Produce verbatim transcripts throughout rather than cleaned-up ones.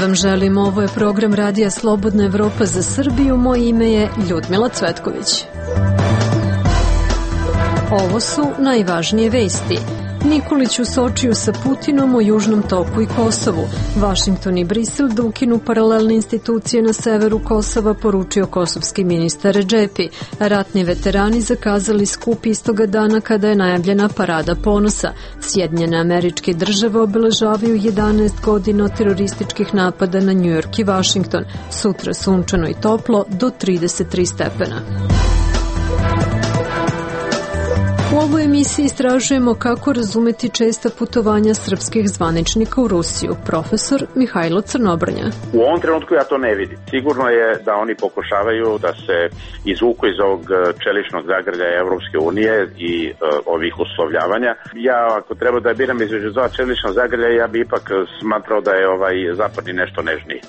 vam želim, ovo je program Radija Slobodna Evropa za Srbiju, moje ime je Ljudmila Cvetković. Ovo su najvažnije vesti. Nikolić u Sočiju sa Putinom o Južnom toku i Kosovu. Vašington i Brisel da ukinu paralelne institucije na severu Kosova, poručio kosovski ministar Redžepi. Ratni veterani zakazali skup istoga dana kada je najavljena Parada ponosa. Sjedinjene Američke Države obeležavaju jedanaest godina od terorističkih napada na Njujork i Vašington. Sutra sunčano i toplo do trideset tri stepena. U ovoj emisiji istražujemo kako razumeti česta putovanja srpskih zvaničnika u Rusiju. Profesor Mihajlo Crnobrnja. U ovom trenutku ja to ne vidim. Sigurno je da oni pokušavaju da se izvuku iz ovog čeličnog zagrljaja Evropske unije i uh, ovih uslovljavanja. Ja ako treba da biram između dva čelična zagrljaja, ja bi ipak smatrao da je ovaj zapadni nešto nežniji.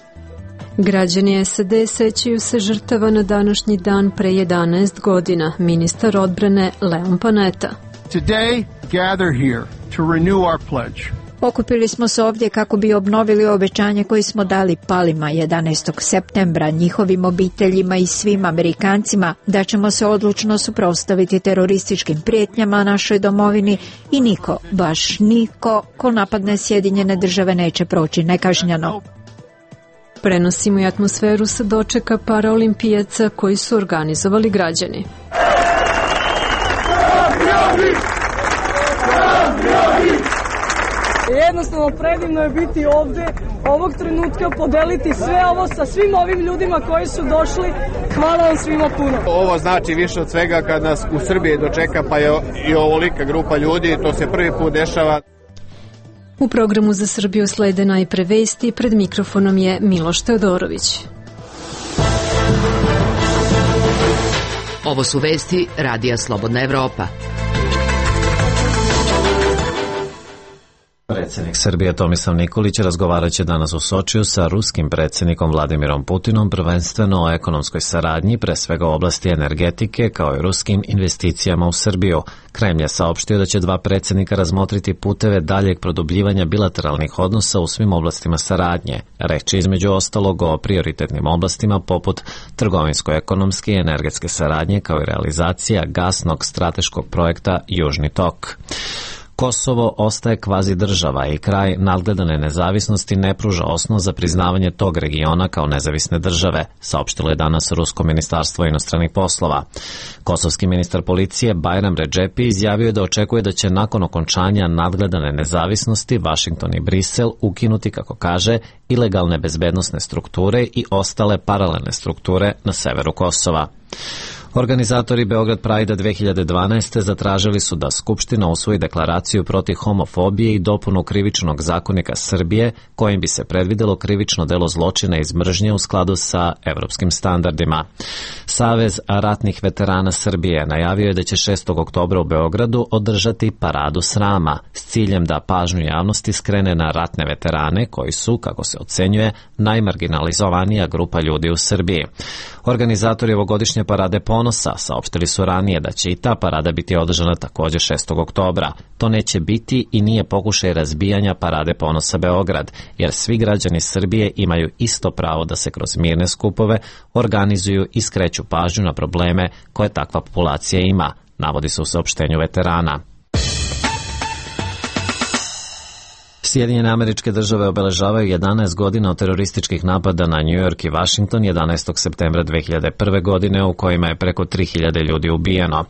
Građani S A D sećaju se žrtava na današnji dan pre jedanaest godina. Ministar odbrane Leon Panetta. Today, gather here to renew our pledge. Okupili smo se ovdje kako bi obnovili obećanje koje smo dali palima jedanaestog septembra, njihovim obiteljima i svim Amerikancima, da ćemo se odlučno suprotstaviti terorističkim prijetnjama našoj domovini i niko, baš niko, ko napadne Sjedinjene Države neće proći nekažnjeno. Prenosimo i atmosferu sa dočeka paraolimpijaca koji su organizovali građani. Jednostavno predivno je biti ovde, ovog trenutka podeliti sve ovo sa svim ovim ljudima koji su došli. Hvala vam svima puno. Ovo znači više od svega kad nas u Srbiji dočeka, pa je i ovolika grupa ljudi, to se prvi put dešava. U programu za Srbiju slede najpre vesti, pred mikrofonom je Miloš Teodorović. Ovo su vesti Radija Slobodna Evropa. Predsjednik Srbije Tomislav Nikolić razgovarat će danas u Sočiju sa ruskim predsjednikom Vladimirom Putinom, prvenstveno o ekonomskoj saradnji, pre svega u oblasti energetike, kao i ruskim investicijama u Srbiju. Kremlj je saopštio da će dva predsjednika razmotriti puteve daljeg produbljivanja bilateralnih odnosa u svim oblastima saradnje. Reč je između ostalog o prioritetnim oblastima poput trgovinsko-ekonomske i energetske saradnje, kao i realizacija gasnog strateškog projekta Južni tok. Kosovo ostaje kvazi država i kraj nadgledane nezavisnosti ne pruža osnov za priznavanje tog regiona kao nezavisne države, saopštilo je danas Rusko ministarstvo inostranih poslova. Kosovski ministar policije Bajram Redžepi izjavio je da očekuje da će nakon okončanja nadgledane nezavisnosti Vašington i Brisel ukinuti, kako kaže, ilegalne bezbednosne strukture i ostale paralelne strukture na severu Kosova. Organizatori Beograd Pride dve hiljade dvanaeste zatražili su da Skupština usvoji deklaraciju protiv homofobije i dopunu krivičnog zakonika Srbije, kojim bi se predvidelo krivično delo zločina iz mržnje u skladu sa evropskim standardima. Savez ratnih veterana Srbije najavio je da će šestog oktobra u Beogradu održati paradu srama s ciljem da pažnju javnosti skrene na ratne veterane koji su, kako se ocenjuje, najmarginalizovanija grupa ljudi u Srbiji. Organizatori ovogodišnje parade ponosa saopštili su ranije da će i ta parada biti održana također šestog oktobra. To neće biti i nije pokušaj razbijanja parade ponosa Beograd, jer svi građani Srbije imaju isto pravo da se kroz mirne skupove organizuju i skreću pažnju na probleme koje takva populacija ima, navodi se u saopštenju veterana. Sjedinjene Američke Države obeležavaju jedanaest godina od terorističkih napada na Njujork i Vašington jedanaestog septembra dve hiljade prve. godine u kojima je preko tri hiljade ljudi ubijeno.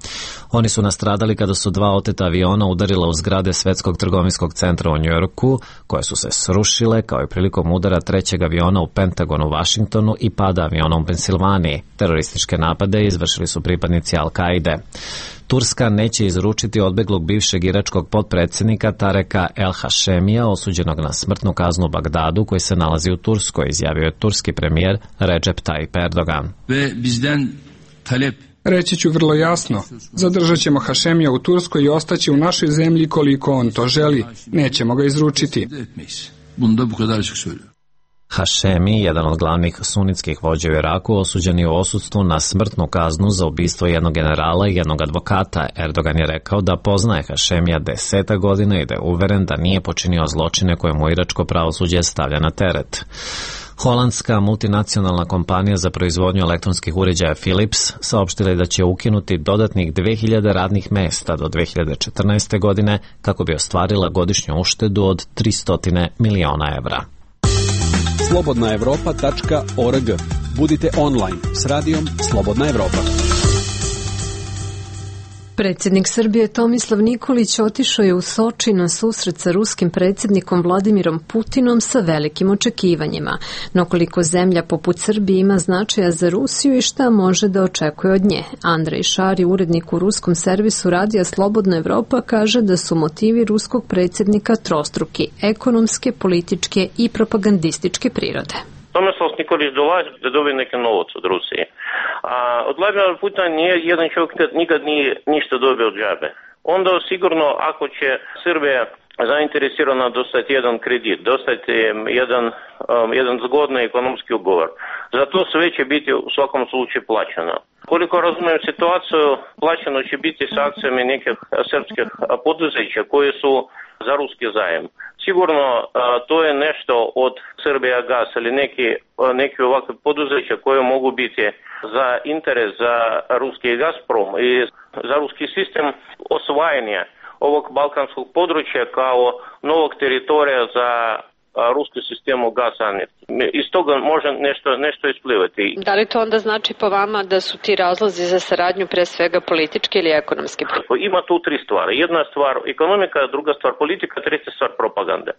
Oni su nastradali kada su dva oteta aviona udarila u zgrade Svetskog trgovinskog centra u Njujorku, koje su se srušile kao i prilikom udara trećeg aviona u Pentagonu u Vašingtonu i pada aviona u Pensilvaniji. Terorističke napade izvršili su pripadnici Al-Kaide. Turska neće izručiti odbeglog bivšeg iračkog potpredsjednika Tareka El Hašemija, osuđenog na smrtnu kaznu u Bagdadu, koji se nalazi u Turskoj, izjavio je turski premijer Recep Tayyip Erdogan. Reći ću vrlo jasno, zadržat ćemo Hašemija u Turskoj i ostaće u našoj zemlji koliko on to želi. Nećemo ga izručiti. Hašemi, jedan od glavnih sunitskih vođa u Iraku, osuđen je u odsustvu na smrtnu kaznu za ubistvo jednog generala i jednog advokata. Erdogan je rekao da poznaje Hašemija deseta godina i da je uveren da nije počinio zločine koje mu iračko pravosuđe stavlja na teret. Holandska multinacionalna kompanija za proizvodnju elektronskih uređaja Philips saopštila je da će ukinuti dodatnih dve hiljade radnih mesta do dve hiljade četrnaeste. godine kako bi ostvarila godišnju uštedu od tristo miliona evra. slobodna evropa tačka org. Budite online s radijom Slobodna Evropa. Predsjednik Srbije Tomislav Nikolić otišao je u Soči na susret sa ruskim predsjednikom Vladimirom Putinom sa velikim očekivanjima. No koliko zemlja poput Srbije ima značaja za Rusiju i šta može da očekuje od nje? Andrej Šari, urednik u ruskom servisu radija Slobodna Evropa, kaže da su motivi ruskog predsjednika trostruki, ekonomske, političke i propagandističke prirode. Tomislav Nikolić dolazi da dobije neki novac od Rusije. A od Vladimira Putina nije jedan čovjek nikad nije ništa dobio od džabe. Onda sigurno ako će Srbija zainteresirana dostati jedan kredit, dostati jedan, um, jedan zgodni ekonomski ugovor, za to sve će biti u svakom slučaju plaćeno. Koliko razumijem situaciju, plaćeno će biti s akcijama nekih srpskih poduzeća koje su za ruski zajem. Sigurno to je nešto od Srbija Gas ili neki, neki ovakve poduzeća koje mogu biti za interes za ruski Gazprom i za ruski sistem osvajanja ovog balkanskog područja kao novog teritorija za ruski sistemu gasa. Iz toga može nešto, nešto isplivati. Da li to onda znači po vama da su ti razlozi za saradnju pre svega politički ili ekonomski? Ima tu tri stvari. Jedna stvar ekonomika, druga stvar politika, treća stvar propaganda.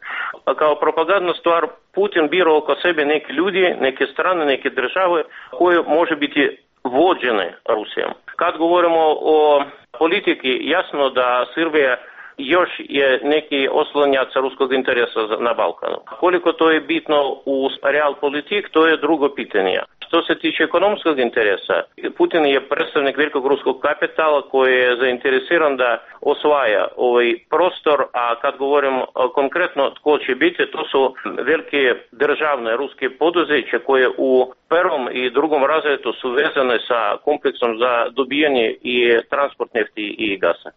Kao propagandna stvar Putin bira oko sebe neki ljudi, neke strane, neke države koje može biti vođene Rusijom. Kad govorimo o politiki, jasno da Srbija još je neki oslonjac ruskog interesa na Balkanu. Koliko to je bitno u real politik, to je drugo pitanje. Što se tiče ekonomskog interesa, Putin je predstavnik velikog ruskog kapitala koji je zainteresiran da osvaja ovaj prostor, a kad govorim konkretno tko će biti, to su velike državne ruske poduzeće koje u prvom i drugom razredu su vezane sa kompleksom za dobijanje i transport nefti i gasa.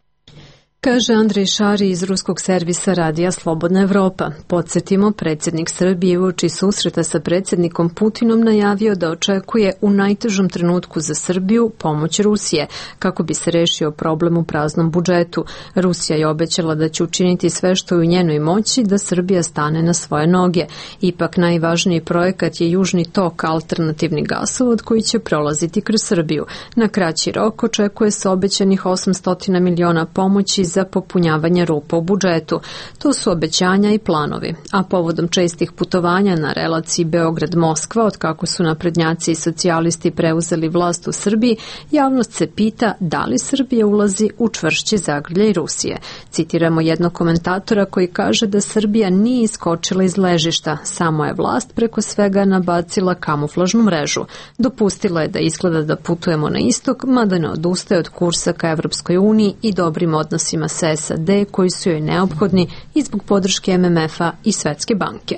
Kaže Andrej Šari iz ruskog servisa radija Slobodna Evropa. Podsjetimo, predsjednik Srbije uoči susreta sa predsjednikom Putinom najavio da očekuje u najtežom trenutku za Srbiju pomoć Rusije, kako bi se rešio problem u praznom budžetu. Rusija je obećala da će učiniti sve što je u njenoj moći da Srbija stane na svoje noge. Ipak najvažniji projekat je Južni tok, alternativni gasovod koji će prolaziti kroz Srbiju. Na kraći rok očekuje se obećanih osamsto miliona pomoći za popunjavanje rupa u budžetu. To su obećanja i planovi. A povodom čestih putovanja na relaciji Beograd-Moskva, od kako su naprednjaci i socijalisti preuzeli vlast u Srbiji, javnost se pita da li Srbija ulazi u čvršći zagrljaj Rusije. Citiramo jednog komentatora koji kaže da Srbija nije iskočila iz ležišta, samo je vlast preko svega nabacila kamuflažnu mrežu. Dopustila je da izgleda da putujemo na istok, mada ne odustaje od kursa ka Evropskoj uniji i dobrim odnosima sa S A D koji su joj neophodni i zbog podrške M M F-a i Svetske banke.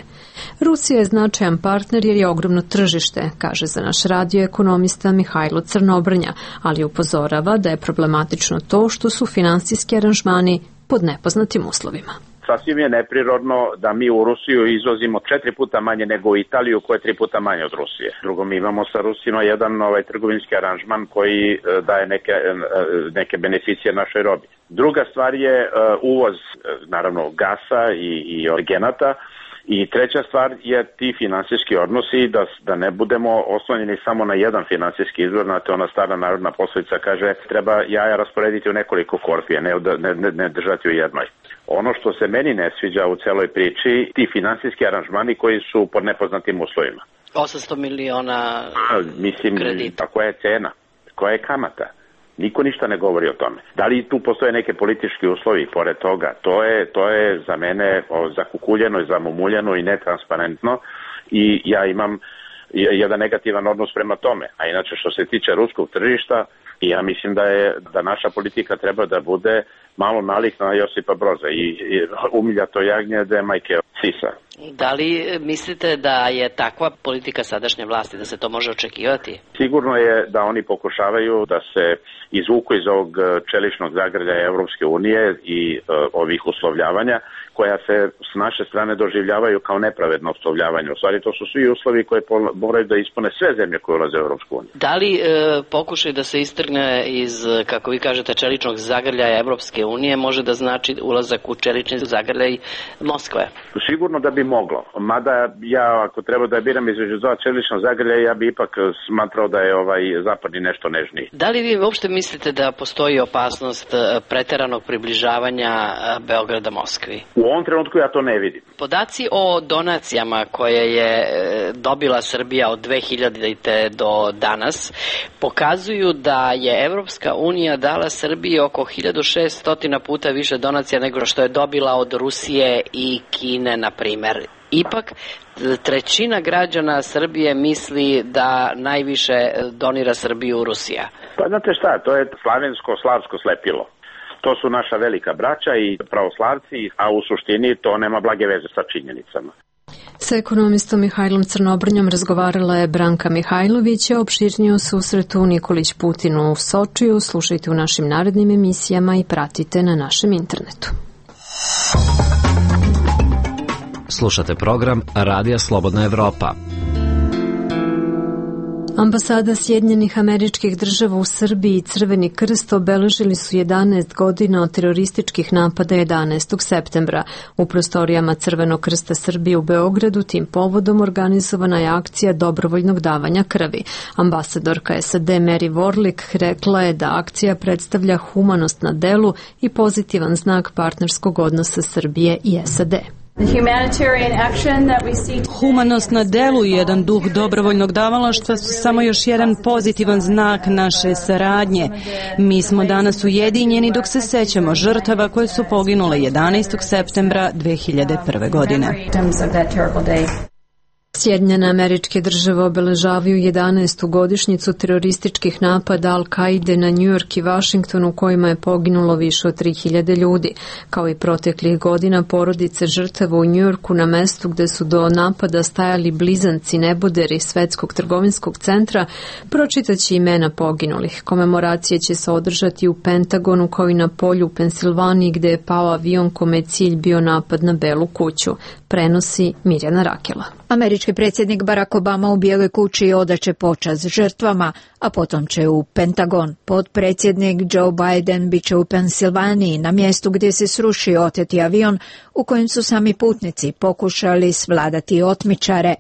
Rusija je značajan partner jer je ogromno tržište, kaže za naš radio ekonomista Mihajlo Crnobrnja, ali upozorava da je problematično to što su finansijski aranžmani pod nepoznatim uslovima. Sasvim je neprirodno da mi u Rusiju izvozimo četiri puta manje nego u Italiju koja je tri puta manje od Rusije. Drugo, mi imamo sa Rusima jedan ovaj trgovinski aranžman koji daje neke, neke beneficije našoj robi. Druga stvar je uvoz, naravno, gasa i, i orgenata. I treća stvar je ti finansijski odnosi, da, da ne budemo oslonjeni samo na jedan finansijski izvor, na to ona stara narodna poslovica kaže treba jaja rasporediti u nekoliko korpije, ne, ne, ne, ne držati u jednoj. Ono što se meni ne sviđa u celoj priči, ti finansijski aranžmani koji su pod nepoznatim uslovima. osamsto miliona Mislim, kredita. Koja je cena? Koja je kamata? Niko ništa ne govori o tome. Da li tu postoje neke politički uslovi pored toga? To je, to je za mene zakukuljeno i zamumuljeno i netransparentno i ja imam jedan negativan odnos prema tome. A inače što se tiče ruskog tržišta, ja mislim da je da naša politika treba da bude malo nalik na Josipa Broza i, i umiljato jagnje da je majke sisa. Da li mislite da je takva politika sadašnje vlasti, da se to može očekivati? Sigurno je da oni pokušavaju da se izvuku iz ovog čeličnog zagrljaja Evropske unije i uh, ovih uslovljavanja koja se s naše strane doživljavaju kao nepravedno uslovljavanje. U stvari to su svi uslovi koje moraju da ispune sve zemlje koje ulaze u Evropsku uniju. Da li e, pokušaj da se istrgne iz, kako vi kažete, čeličnog zagrljaja Evropske unije može da znači ulazak u čelični zagrljaj Moskve? Sigurno da bi moglo. Mada ja ako treba da biram između dva čelična zagrljaja, ja bi ipak smatrao da je ovaj zapadni nešto nežniji. Da li vi uopšte mislite da postoji opasnost preteranog približavanja Beograda Moskvi? U ovom trenutku ja to ne vidim. Podaci o donacijama koje je dobila Srbija od dve hiljadite do danas pokazuju da je Evropska unija dala Srbiji oko hiljadu šessto puta više donacija nego što je dobila od Rusije i Kine, na primer. Ipak, trećina građana Srbije misli da najviše donira Srbiju Rusija. Pa znate šta, to je slavensko-slavsko slepilo. To su naša velika braća i pravoslavci, a u suštini to nema blage veze sa činjenicama. Sa ekonomistom Mihajlom Crnobrnjom razgovarala je Branka Mihajlović, a opširnije o susretu Nikolić Putinu u Sočiju slušajte u našim narednim emisijama i pratite na našem internetu. Slušate program Radija Slobodna Evropa. Ambasada Sjedinjenih Američkih Država u Srbiji i Crveni krst obeležili su jedanaest godina od terorističkih napada jedanaestog septembra. U prostorijama Crvenog krsta Srbije u Beogradu tim povodom organizovana je akcija dobrovoljnog davanja krvi. Ambasadorka S A D Mary Warlick rekla je da akcija predstavlja humanost na delu i pozitivan znak partnerskog odnosa Srbije i S A D. Humanost na delu i jedan duh dobrovoljnog davalaštva su samo još jedan pozitivan znak naše saradnje. Mi smo danas ujedinjeni dok se sećamo žrtava koje su poginule jedanaestog septembra dve hiljade prve. godine. Sjedinjene Američke Države obeležavaju jedanaestu godišnjicu terorističkih napada Al-Kaide na Njujork i Vašington u kojima je poginulo više od tri hiljade ljudi. Kao i proteklih godina, porodice žrtava u Njujorku na mestu gde su do napada stajali blizanci neboderi Svetskog trgovinskog centra pročitaće imena poginulih. Komemoracije će se održati u Pentagonu kao i na polju u Pensilvaniji gde je pao avion kome je cilj bio napad na Belu kuću. Prenosi Mirjana Rakela. Američki predsjednik Barack Obama u Bijeloj kući odaće počast žrtvama, a potom će u Pentagon. Potpredsjednik Joe Biden bit će u Pensilvaniji na mjestu gdje se srušio oteti avion u kojem su sami putnici pokušali svladati otmičare.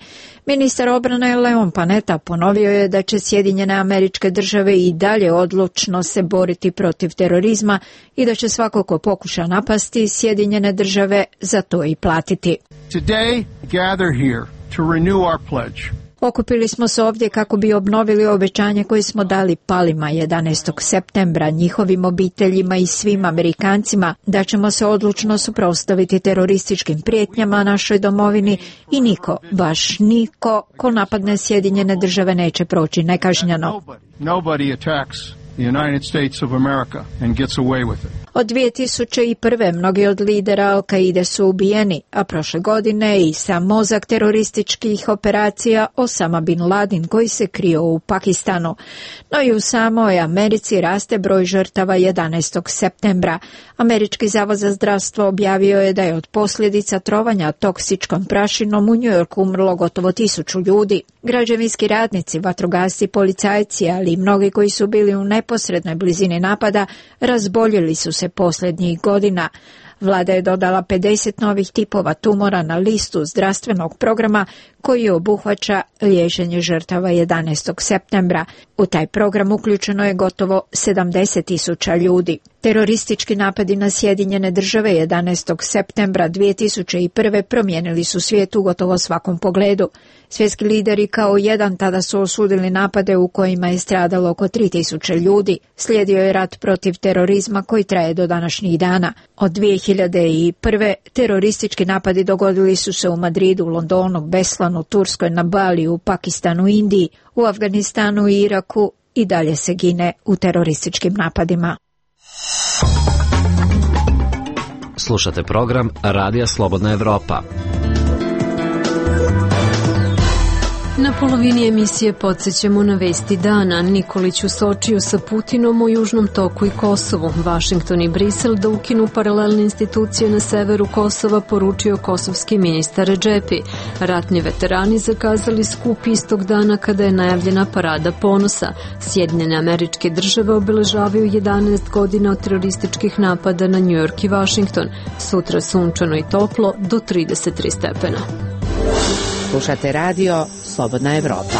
Ministar obrane Leon Panetta ponovio je da će Sjedinjene Američke Države i dalje odlučno se boriti protiv terorizma i da će svako ko pokuša napasti Sjedinjene Države za to i platiti. Today, gather here to renew our pledge. Okupili smo se ovdje kako bi obnovili obećanje koje smo dali palima jedanaestog septembra, njihovim obiteljima i svim Amerikancima, da ćemo se odlučno suprotstaviti terorističkim prijetnjama našoj domovini i niko, baš niko, ko napadne Sjedinjene Države neće proći nekažnjeno. Nobody attacks the United States of America and gets away with it. Od dvije tisuće prve. mnogi od lidera Al-Kaide su ubijeni, a prošle godine i sam mozak terorističkih operacija Osama bin Laden koji se krio u Pakistanu. No i u samoj Americi raste broj žrtava jedanaestog septembra. Američki zavod za zdravstvo objavio je da je od posljedica trovanja toksičkom prašinom u Njujorku umrlo gotovo tisuću ljudi. Građevinski radnici, vatrogasci, policajci, ali i mnogi koji su bili u neposrednoj blizini napada razboljeli su se posljednjih godina. Vlada je dodala pedeset novih tipova tumora na listu zdravstvenog programa koji obuhvaća liječenje žrtava jedanaestog septembra. U taj program uključeno je gotovo sedamdeset tisuća ljudi. Teroristički napadi na Sjedinjene Države jedanaestog septembra dvije tisuće prve. promijenili su svijet u gotovo svakom pogledu. Svjetski lideri kao jedan tada su osudili napade u kojima je stradalo oko tri tisuće ljudi. Slijedio je rat protiv terorizma koji traje do današnjih dana. Od dvije hiljade prve. teroristički napadi dogodili su se u Madridu, Londonu, Beslanu, Turskoj, na Baliju, Pakistanu, Indiji, u Afganistanu i Iraku i dalje se gine u terorističkim napadima. Slušate program Radija Slobodna Evropa. Na polovini emisije podsjećamo na vesti dana. Nikolić u Sočiju sa Putinom o Južnom toku i Kosovu. Vašington i Brisel da ukinu paralelne institucije na severu Kosova, poručio kosovski ministar Redžepi. Ratni veterani zakazali skup istog dana kada je najavljena parada ponosa. Sjedinjene Američke Države obeležavaju jedanaest godina od terorističkih napada na Njujork i Vašington. Sutra sunčano i toplo do trideset tri stepena. Slušate radio Slobodna Evropa.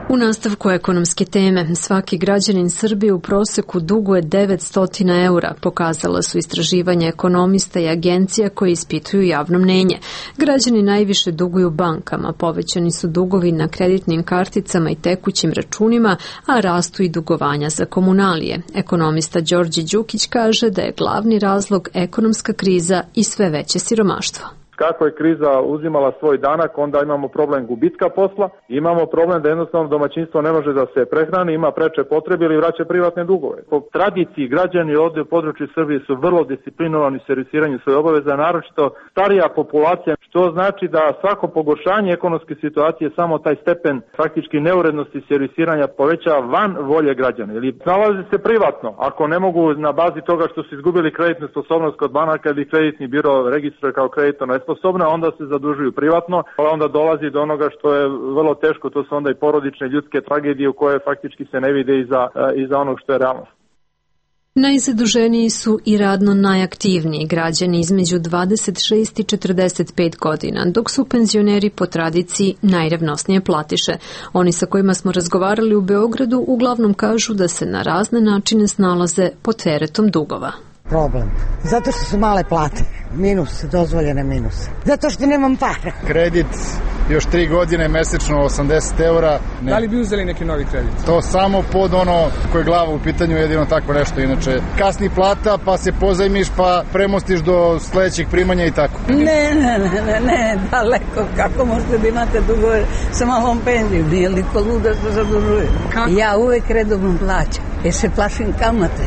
U nastavku ekonomske teme, svaki građanin Srbije u proseku duguje devetsto eura, pokazala su istraživanja ekonomista i agencija koje ispituju javno mnenje. Građani najviše duguju bankama, povećani su dugovi na kreditnim karticama i tekućim računima, a rastu i dugovanja za komunalije. Ekonomista Đorđe Đukić kaže da je glavni razlog ekonomska kriza i sve veće siromaštvo. Kako je kriza uzimala svoj danak, onda imamo problem gubitka posla, imamo problem da jednostavno domaćinstvo ne može da se prehrani, ima preče potrebe ili vraća privatne dugove. Po tradiciji građani ovdje u području Srbije su vrlo disciplinovani u servisiranju svoje obaveza, naročito starija populacija, što znači da svako pogoršanje ekonomske situacije samo taj stepen faktički neurednosti servisiranja poveća van volje građana. Ili nalazi se privatno, ako ne mogu na bazi toga što su izgubili kreditnu sposobnost kod banaka ili kreditni biro registruje kao kreditno nesposobna, onda se zadužuju privatno, a onda dolazi do onoga što je vrlo teško, to su onda i porodične ljudske tragedije u koje faktički se ne vide iza, iza onog što je realnost. Najzaduženiji su i radno najaktivniji građani između dvadeset šest i četrdeset pet godina, dok su penzioneri po tradiciji najrevnosnije platiše. Oni sa kojima smo razgovarali u Beogradu uglavnom kažu da se na razne načine snalaze pod teretom dugova. Problem. Zato što su male plate. Minus, dozvoljene minuse. Zato što nemam para. Kredit još tri godine, mesečno osamdeset eura. Ne. Da li bi uzeli neki novi kredit? To samo pod ono koje glava u pitanju, jedino tako nešto. Inače, kasni plata, pa se pozajmiš, pa premostiš do sledećeg primanja i tako. Ne, ne, ne, ne, ne, daleko. Kako možete da imate dugove sa malom penzijom? Nije li ko luda što zadužuje? Kako? Ja uvek redovno plaćam, jer se plašim kamate,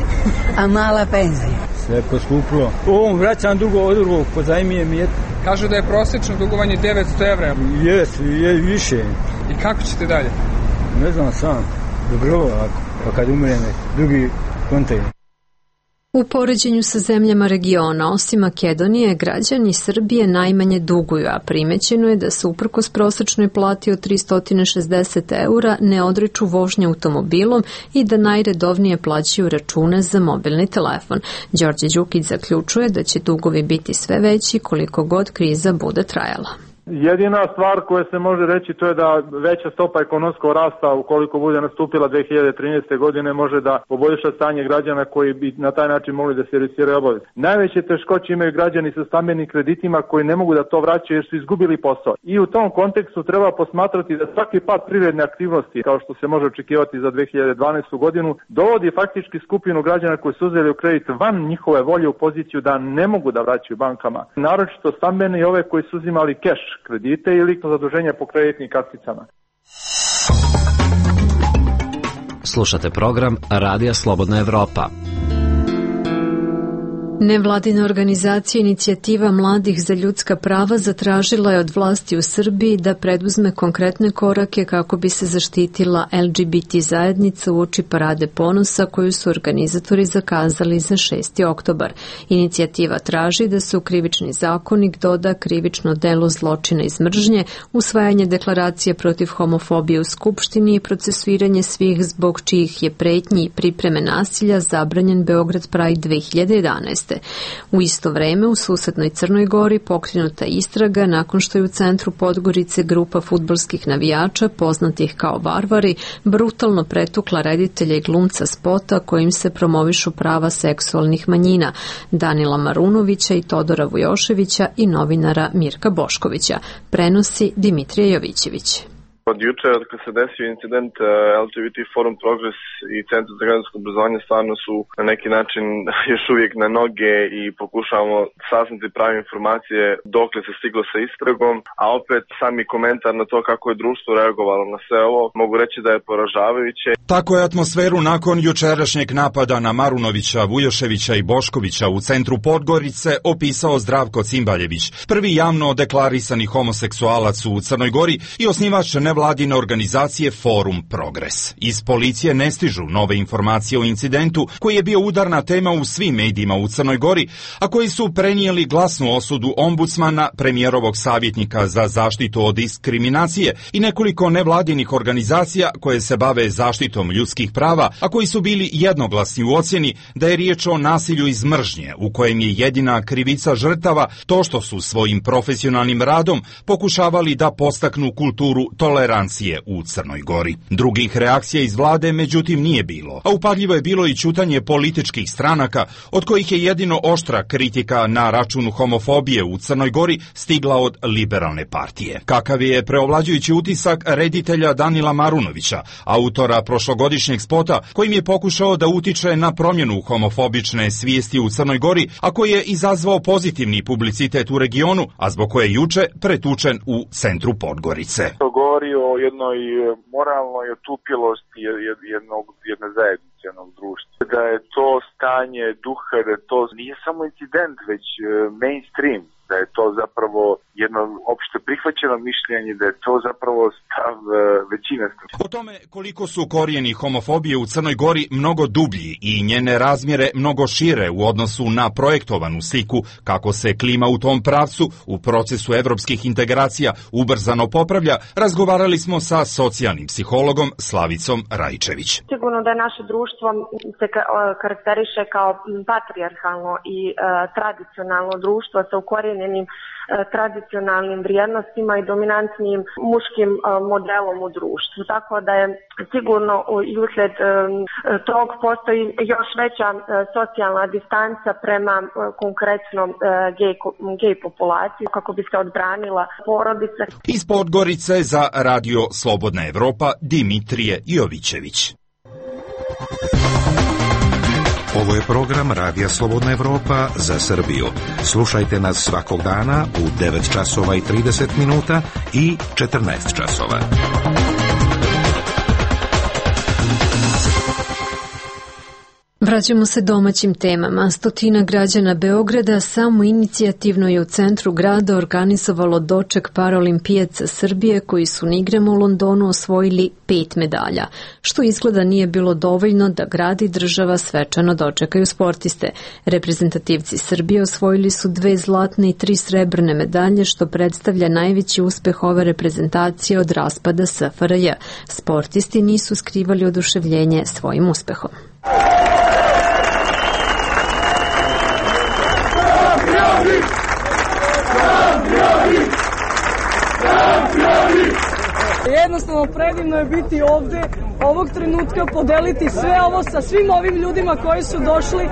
a mala penzija. Sve poskuplo. Ovom vraćam dugo od drugog, pozajmijem je. Kažu da je prosečno dugovanje devetsto evra. Jes, je više. I kako ćete dalje? Ne znam sam. Dobro ovako. Pa kad umrem, drugi kontejner. U poređenju sa zemljama regiona, osim Makedonije, građani Srbije najmanje duguju, a primećeno je da se uprkos prosečnoj plati od tristo šezdeset eura ne odriču vožnje automobilom i da najredovnije plaćaju račune za mobilni telefon. Đorđe Đukić zaključuje da će dugovi biti sve veći koliko god kriza bude trajala. Jedina stvar koja se može reći to je da veća stopa ekonomskog rasta ukoliko bude nastupila dve hiljade trinaeste. godine može da poboljša stanje građana koji bi na taj način mogli da servisiraju obaveze. Najveće teškoće imaju građani sa stambenim kreditima koji ne mogu da to vraćaju jer su izgubili posao. I u tom kontekstu treba posmatrati da svaki pad privredne aktivnosti, kao što se može očekivati za dve hiljade dvanaestu. godinu, dovodi faktički skupinu građana koji su uzeli u kredit van njihove volje u poziciju da ne mogu da vraćaju bankama. Naročito stambene i ove koji su uzimali keš kredite ili zaduženja po kreditnim karticama. Slušate program Radija Slobodna Evropa. Nevladina organizacija Inicijativa mladih za ljudska prava zatražila je od vlasti u Srbiji da preduzme konkretne korake kako bi se zaštitila L G B T zajednica uoči parade ponosa koju su organizatori zakazali za šesti oktobar. Inicijativa traži da se u krivični zakonik doda krivično delo zločina iz mržnje, usvajanje deklaracije protiv homofobije u Skupštini i procesuiranje svih zbog čijih je pretnji i pripreme nasilja zabranjen Beograd Pride dve hiljade jedanaeste. U isto vreme u susednoj Crnoj Gori pokrenuta istraga nakon što je u centru Podgorice grupa fudbalskih navijača poznatih kao Varvari brutalno pretukla reditelja i glumca spota kojim se promovišu prava seksualnih manjina Danila Marunovića i Todora Vujoševića i novinara Mirka Boškovića, prenosi Dimitrije Jovićević. Od juče, od kad se desio incident, L G B T Forum Progress i Centar za građansko obrazovanje stvarno su na neki način još uvijek na noge i pokušavamo saznati prave informacije dokle se stiglo sa istragom, a opet sami komentar na to kako je društvo reagovalo na sve ovo, mogu reći da je poražavajuće. Tako je atmosferu nakon jučerašnjeg napada na Marunovića, Vujoševića i Boškovića u centru Podgorice opisao Zdravko Cimbaljević, prvi javno deklarisani homoseksualac u Crnoj Gori i osnivač nevladine organizacije Forum Progress. Iz policije ne stižu nove informacije o incidentu koji je bio udarna tema u svim medijima u Crnoj Gori, a koji su prenijeli glasnu osudu ombudsmana, premijerovog savjetnika za zaštitu od diskriminacije i nekoliko nevladinih organizacija koje se bave zaštitom ljudskih prava, a koji su bili jednoglasni u ocjeni da je riječ o nasilju iz mržnje u kojem je jedina krivica žrtava to što su svojim profesionalnim radom pokušavali da postaknu kulturu tolerancije u Crnoj Gori. Drugih reakcija iz vlade međutim nije bilo, a upadljivo je bilo i ćutanje političkih stranaka, od kojih je jedino oštra kritika na račun homofobije u Crnoj Gori stigla od Liberalne partije. Kakav je preovlađujući utisak reditelja Danila Marunovića, autora prošlogodišnjeg spota kojim je pokušao da utiče na promjenu homofobične svijesti u Crnoj Gori, a koji je izazvao pozitivni publicitet u regionu, a zbog koje je juče pretučen u centru Podgorice. To govori o jednoj moralnoj otupilosti jednog, jedne zajednice, jednog društva. Da je to stanje duha, da to nije samo incident, već mainstream, da je to zapravo jedno opšte prihvaćeno mišljenje, da je to zapravo stav većine. O tome koliko su korijeni homofobije u Crnoj Gori mnogo dublji i njene razmjere mnogo šire u odnosu na projektovanu sliku kako se klima u tom pravcu u procesu evropskih integracija ubrzano popravlja, razgovarali smo sa socijalnim psihologom Slavicom Rajčević. Sigurno da je naše društvo se karakteriše kao patrijarhalno i uh, tradicionalno društvo sa ukorijenjenim tradicionalnim vrijednostima i dominantnim muškim modelom u društvu. Tako da je sigurno i uslijed tog postoji još veća socijalna distanca prema konkretno gej, gej populaciji kako bi se odbranila porodica. Iz Podgorice za Radio Slobodna Evropa Dimitrije Jovićević. Ovo je program Radija Slobodna Evropa za Srbiju. Slušajte nas svakog dana u devet časova i trideset minuta i četrnaest časova. Vraćamo se domaćim temama. Stotina građana Beograda samo inicijativno je u centru grada organizovalo doček paraolimpijaca Srbije koji su na igrama u Londonu osvojili pet medalja, što izgleda nije bilo dovoljno da grad i država svečano dočekaju sportiste. Reprezentativci Srbije osvojili su dve zlatne i tri srebrne medalje, što predstavlja najveći uspeh ove reprezentacije od raspada S F R J. Sportisti nisu skrivali oduševljenje svojim uspehom. Jednostavno predivno je biti ovde, ovog trenutka podeliti sve ovo sa svim ovim ljudima koji su došli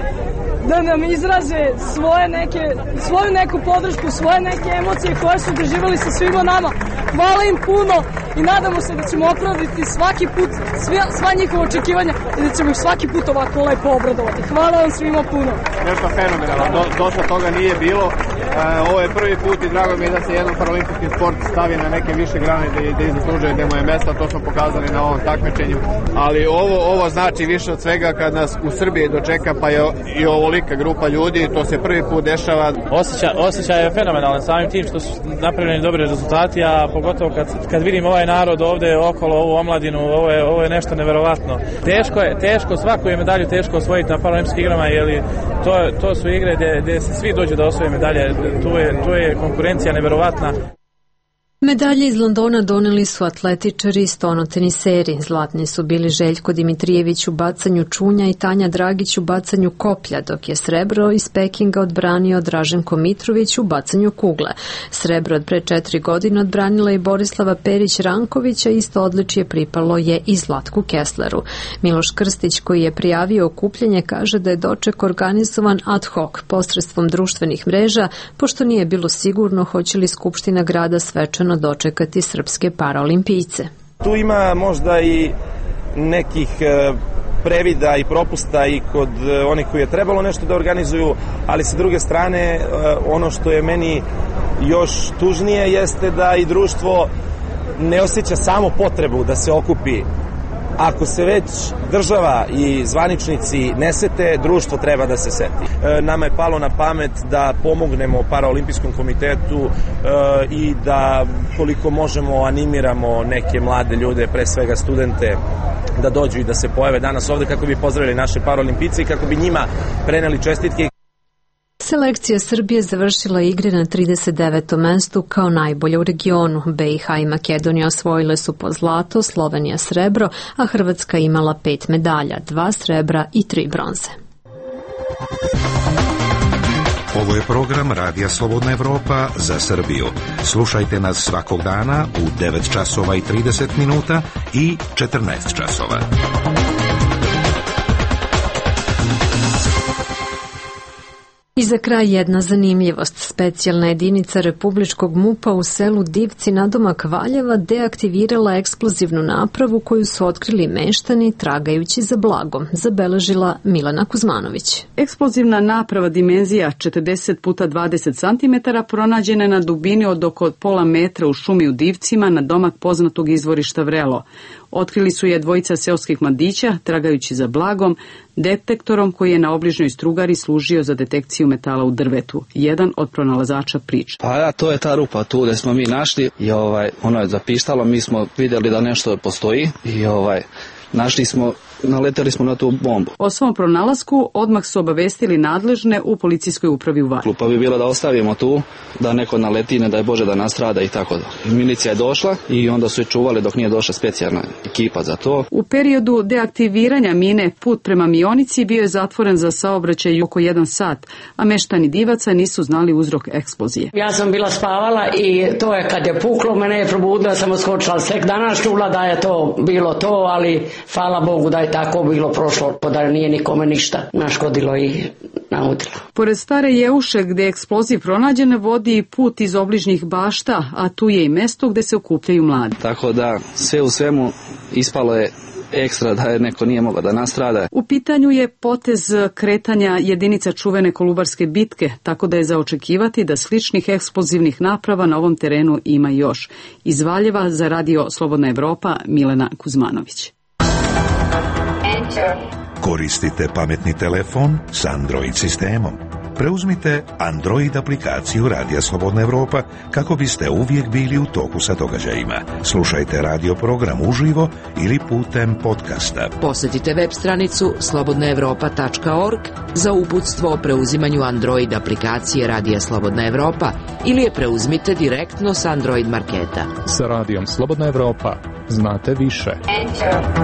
da nam izraze svoje neke, svoju neku podršku, svoje neke emocije koje su doživjeli sa svima nama. Hvala im puno i nadamo se da ćemo opravditi svaki put sve, sva njihova očekivanja i da ćemo ih svaki put ovako lepo obradovati. Hvala vam svima puno. Nešto fenomenalno, Do, dosta toga nije bilo. E, ovo je prvi put i drago mi je da se jedan paralimpijski sport stavi na neke više grane da, da izaslužuje gde mu je mesta, to smo pokazali na ovom takmičenju. Ali ovo, ovo znači više od svega kad nas u Srbiji dočeka pa je i ovolika grupa ljudi, to se prvi put dešava. Osjećaj, osjećaj je fenomenalan samim tim što su napravljeni dobri rezultati, a pogotovo kad, kad vidim ovaj narod ovde okolo, ovu omladinu, ovo je, ovo je nešto neverovatno. Teško je, teško, svaku je medalju teško osvojiti na paraolimpijskim igrama, jer to, to su igre gde, gde se svi dođu da osvoje medalje, tu je, tu je konkurencija neverovatna. Medalje iz Londona doneli su atletičari i stonoteniseri. Zlatni su bili Željko Dimitrijević u bacanju čunja i Tanja Dragić u bacanju koplja, dok je srebro iz Pekinga odbranio Draženko Mitrović u bacanju kugle. Srebro od pre četiri godine odbranila i Borislava Perić-Rankovića, isto odličje pripalo je i Zlatku Kessleru. Miloš Krstić, koji je prijavio okupljanje, kaže da je doček organizovan ad hoc posredstvom društvenih mreža, pošto nije bilo sigurno hoće li Skupština grada svečano dočekati srpske paraolimpijce. Tu ima možda i nekih previda i propusta i kod onih koji je trebalo nešto da organizuju, ali sa druge strane ono što je meni još tužnije jeste da i društvo ne osjeća samo potrebu da se okupi. Ako se već država i zvaničnici ne sete, društvo treba da se seti. Nama je palo na pamet da pomognemo Paraolimpijskom komitetu i da koliko možemo animiramo neke mlade ljude, pre svega studente, da dođu i da se pojave danas ovde kako bi pozdravili naše paraolimpijice i kako bi njima preneli čestitke. Selekcija Srbije završila igre na trideset devetom mestu kao najbolja u regionu. B i H i Makedonija osvojile su po zlato, Slovenija srebro, a Hrvatska imala pet medalja, dva srebra i tri bronze. Ovo je program Radija Slobodna Evropa za Srbiju. Slušajte nas svakog dana u devet časova i trideset minuta i četrnaest časova. I za kraj jedna zanimljivost. Specijalna jedinica Republičkog MUP-a u selu Divci nadomak Valjeva deaktivirala eksplozivnu napravu koju su otkrili meštani tragajući za blagom, zabeležila Milena Kuzmanović. Eksplozivna naprava dimenzija četrdeset puta dvadeset centimetara pronađena je na dubini od oko pola metra u šumi u Divcima na domak poznatog izvorišta Vrelo. Otkrili su je dvojica seoskih mladića, tragajući za blagom, detektorom koji je na obližnjoj strugari služio za detekciju metala u drvetu. Jedan od pronalazača priča. Pa ja, to je ta rupa tu gde smo mi našli i ovaj, ono je zapištalo, mi smo vidjeli da nešto postoji i ovaj, našli smo, naleteli smo na tu bombu. O svom pronalasku odmah su obavestili nadležne u policijskoj upravi u Valjevu. Pa bi bilo da ostavimo tu, da neko naleti, ne daj Bože da nastrada i tako da. I milicija je došla i onda su je čuvali dok nije došla specijalna ekipa za to. U periodu deaktiviranja mine put prema Mionici bio je zatvoren za saobraćaj oko jedan sat, a meštani Divaca nisu znali uzrok eksplozije. Ja sam bila spavala i to je kad je puklo, mene je probudila, sam oskočila, tek danas čula da je to bilo to, ali hvala Bogu da je tako bilo prošlo, pa da nije nikome ništa naškodilo i naudilo. Pored Stare Jeuše, gde je eksploziv pronađen, vodi put iz obližnjih bašta, a tu je i mesto gde se okupljaju mladi. Tako da sve u svemu ispalo je ekstra da je neko nije mogao da nastrada. U pitanju je potez kretanja jedinica čuvene Kolubarske bitke, tako da je za očekivati da sličnih eksplozivnih naprava na ovom terenu ima još. Iz Valjeva za Radio Slobodna Evropa, Milena Kuzmanović. Koristite pametni telefon s Android sistemom. Preuzmite Android aplikaciju Radija Slobodna Evropa kako biste uvijek bili u toku sa događajima. Slušajte radio program uživo ili putem podcasta. Posjetite web stranicu slobodna evropa tačka org za uputstvo o preuzimanju Android aplikacije Radija Slobodna Evropa ili je preuzmite direktno s Android marketa. Sa Radijom Slobodna Evropa znate više. Enter.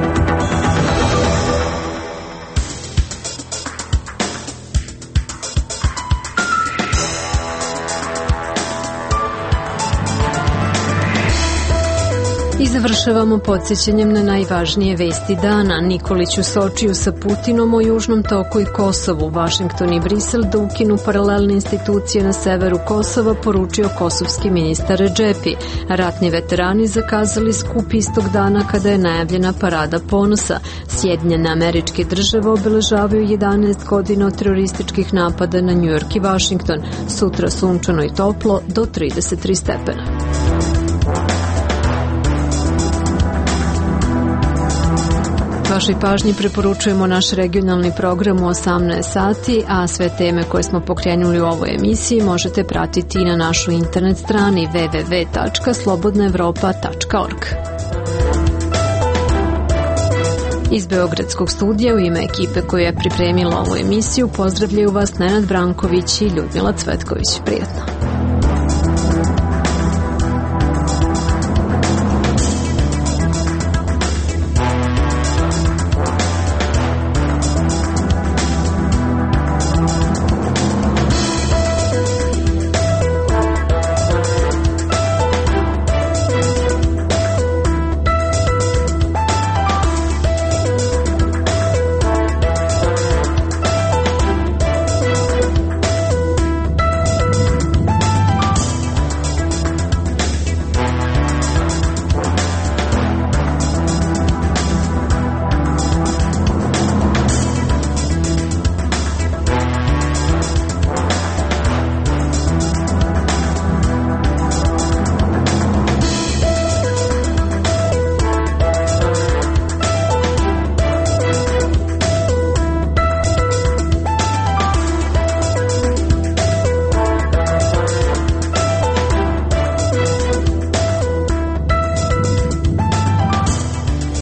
I završavamo podsjećanjem na najvažnije vesti dana. Nikolić u Sočiju sa Putinom o Južnom toku i Kosovu. Vašington i Brisel da ukinu paralelne institucije na severu Kosova, poručio kosovski ministar Redžepi. Ratni veterani zakazali skup istog dana kada je najavljena parada ponosa. Sjedinjene Američke Države obeležavaju jedanaest godina od terorističkih napada na Njujork i Vašington. Sutra sunčano i toplo do trideset tri stepena. Vašoj pažnji preporučujemo naš regionalni program u osamnaest sati, a sve teme koje smo pokrenuli u ovoj emisiji možete pratiti i na našoj internet strani w w w tačka slobodna evropa tačka org. Iz Beogradskog studija u ime ekipe koja je pripremila ovu emisiju pozdravljaju vas Nenad Branković i Ljudmila Cvetković. Prijetno.